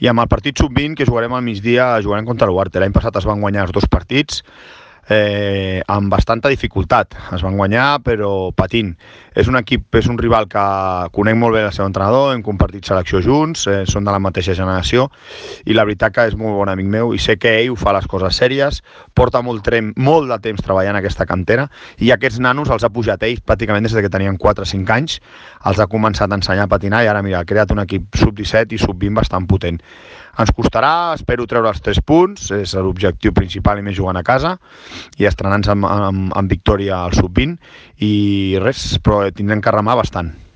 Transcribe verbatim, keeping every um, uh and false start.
I amb el partit sub vint, que jugarem al migdia, jugarem contra l'Uarte. L'any passat es van guanyar els dos partits, eh, amb bastanta dificultat. Es van guanyar, però patint. És un equip, és un rival que conec molt bé el seu entrenador, hem compartit selecció junts, eh, són de la mateixa generació, i la veritat que és molt bon amic meu, i sé que ell ho fa les coses sèries, porta molt, trem, molt de temps treballant aquesta cantera, i aquests nanos els ha pujat ells pràcticament des que tenien quatre o cinc anys, els ha començat a ensenyar a patinar, i ara mira, ha creat un equip sub disset i sub vint bastant potent. Ens costarà, espero treure els tres punts, és l'objectiu principal, i més jugant a casa, i estrenant-nos amb, amb, amb victòria al sub vint, i res, però tindrem que remar bastant.